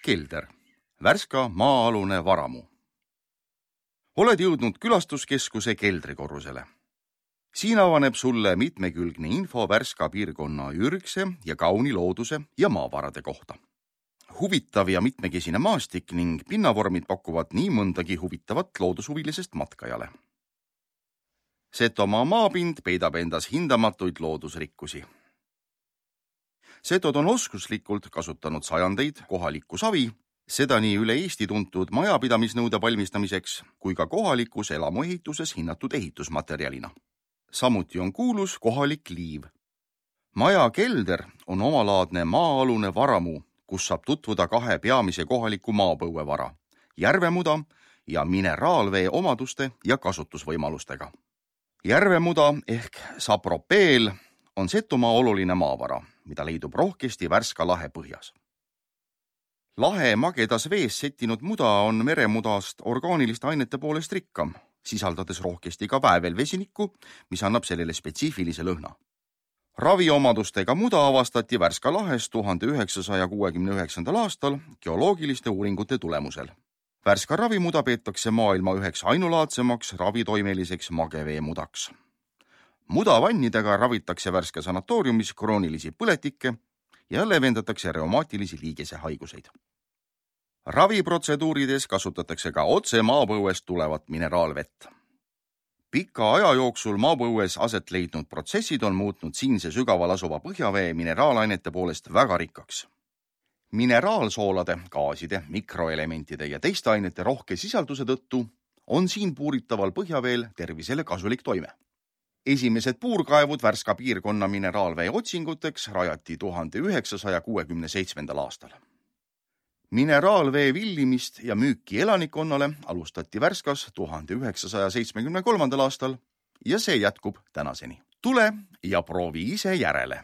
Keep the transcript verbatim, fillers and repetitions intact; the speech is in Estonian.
Kelder, Värska maa-alune varamu. Oled jõudnud külastuskeskuse keldrikorrusele. Siin avaneb sulle mitmekülgne info Värska piirkonna ürgse ja kauni looduse ja maavarade kohta. Huvitav ja mitmekesine maastik ning pinnavormid pakuvad nii mõndagi huvitavat loodushuvilisest matkajale. Setomaa maapind peidab endas hindamatuid loodusrikkusi. Setod on oskuslikult kasutanud sajandeid kohalikku savi, seda nii üle Eesti tuntud majapidamisnõude valmistamiseks kui ka kohalikus elamuehituses hinnatud ehitusmaterjalina. Samuti on kuulus kohalik liiv. Maja kelder on omalaadne maa-alune varamu, kus saab tutvuda kahe peamise kohaliku maapõuevara, järvemuda ja mineraalvee omaduste ja kasutusvõimalustega. Järvemuda ehk sapropeel on Setomaa oluline maavara, mida leidub rohkesti Värska lahe põhjas. Lahe magedas vees settinud muda on meremudast orgaaniliste ainete poolest rikkam, sisaldades rohkesti ka väävelvesinikku, mis annab sellele spetsiifilise lõhna. Raviomadustega muda avastati Värska lahes tuhande üheksasaja kuuekümne üheksandal aastal geoloogiliste uuringute tulemusel. Värska ravimuda peetakse maailma üheks ainulaadsemaks ravitoimeliseks mageveemudaks. Mudavannidega ravitakse Värska sanatooriumis kroonilisi põletikke ja levendatakse reumaatilisi liigese haiguseid. Raviprotseduurides kasutatakse ka otse maapõuest tulevat mineraalvett. Pika aja jooksul maapõues aset leidnud protsessid on muutnud siinse sügaval asuva põhjavee mineraalainete poolest väga rikkaks. Mineraalsoolade, gaaside, mikroelementide ja teiste ainete rohke sisalduse tõttu on siin puuritaval põhjaveel tervisele kasulik toime. Esimesed puurkaevud Värska piirkonna mineraalvee otsinguteks rajati tuhande üheksasaja kuuekümne seitsmendal aastal. Mineraalvee villimist ja müüki elanikkonnale alustati Värskas tuhande üheksasaja seitsmekümne kolmandal aastal ja see jätkub tänaseni. Tule ja proovi ise järele.